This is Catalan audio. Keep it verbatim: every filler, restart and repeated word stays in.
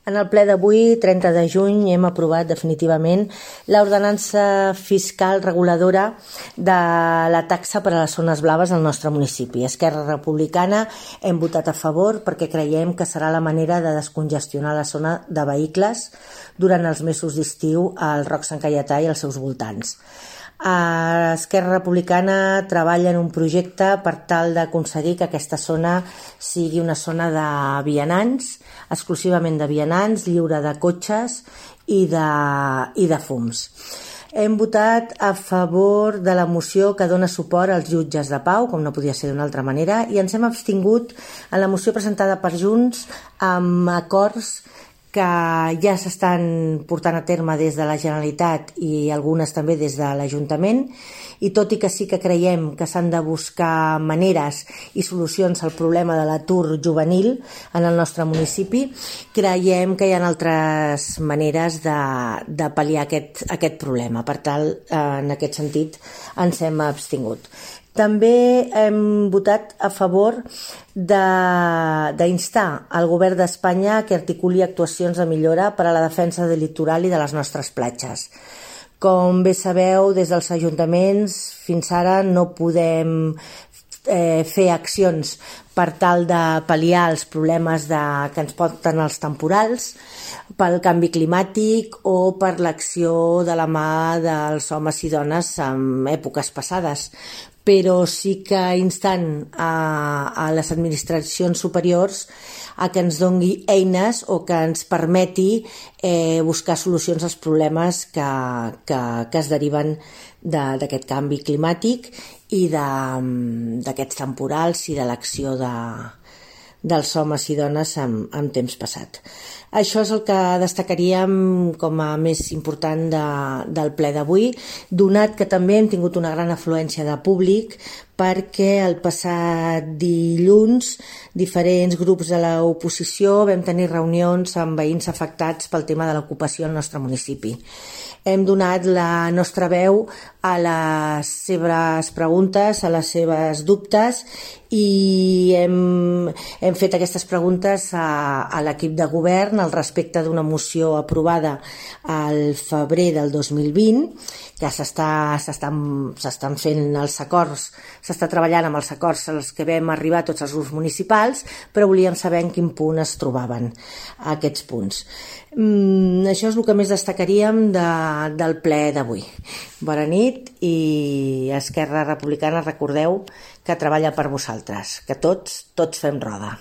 En el ple d'avui, trenta de juny, hem aprovat definitivament l'ordenança fiscal reguladora de la taxa per a les zones blaves al nostre municipi. Esquerra Republicana hem votat a favor perquè creiem que serà la manera de descongestionar la zona de vehicles durant els mesos d'estiu al Roc Sant Caietà i als seus voltants. Esquerra Republicana treballa en un projecte per tal d'aconseguir que aquesta zona sigui una zona de vianants, exclusivament de vianants, lliure de cotxes i de, i de fums. Hem votat a favor de la moció que dona suport als jutges de pau, com no podia ser d'una altra manera, i ens hem abstingut en la moció presentada per Junts amb acords que ja s'estan portant a terme des de la Generalitat i algunes també des de l'Ajuntament, i tot i que sí que creiem que s'han de buscar maneres i solucions al problema de l'atur juvenil en el nostre municipi, creiem que hi ha altres maneres de, de pal·liar aquest, aquest problema. Per tal, en aquest sentit, ens hem abstingut. També hem votat a favor d'instar el govern d'Espanya que articuli actuacions de millora per a la defensa del litoral i de les nostres platges. Com bé sabeu, des dels ajuntaments fins ara no podem eh, fer accions per tal de pal·liar els problemes de, que ens porten els temporals, pel canvi climàtic o per l'acció de la mà dels homes i dones en èpoques passades. Però sí que instant a, a les administracions superiors a que ens doni eines o que ens permeti eh, buscar solucions als problemes que, que, que es deriven d'aquest de, canvi climàtic i d'aquests temporals i de l'acció de, dels homes i dones en, en temps passat. Això és el que destacaríem com a més important de, del ple d'avui, donat que també hem tingut una gran afluència de públic perquè el passat dilluns diferents grups de l'oposició vam tenir reunions amb veïns afectats pel tema de l'ocupació al nostre municipi. Hem donat la nostra veu a les seves preguntes, a les seves dubtes, i hem, hem fet aquestes preguntes a, a l'equip de govern al respecte d'una moció aprovada al febrer del dos mil vint, que s'estan fent els acords, s'està treballant amb els acords als que vam arribar tots els grups municipals, però volíem saber en quin punt es trobaven aquests punts. Mm, això és el que més destacaríem de, del ple d'avui. Bona nit, i Esquerra Republicana, recordeu que treballa per vosaltres, que tots, tots fem roda.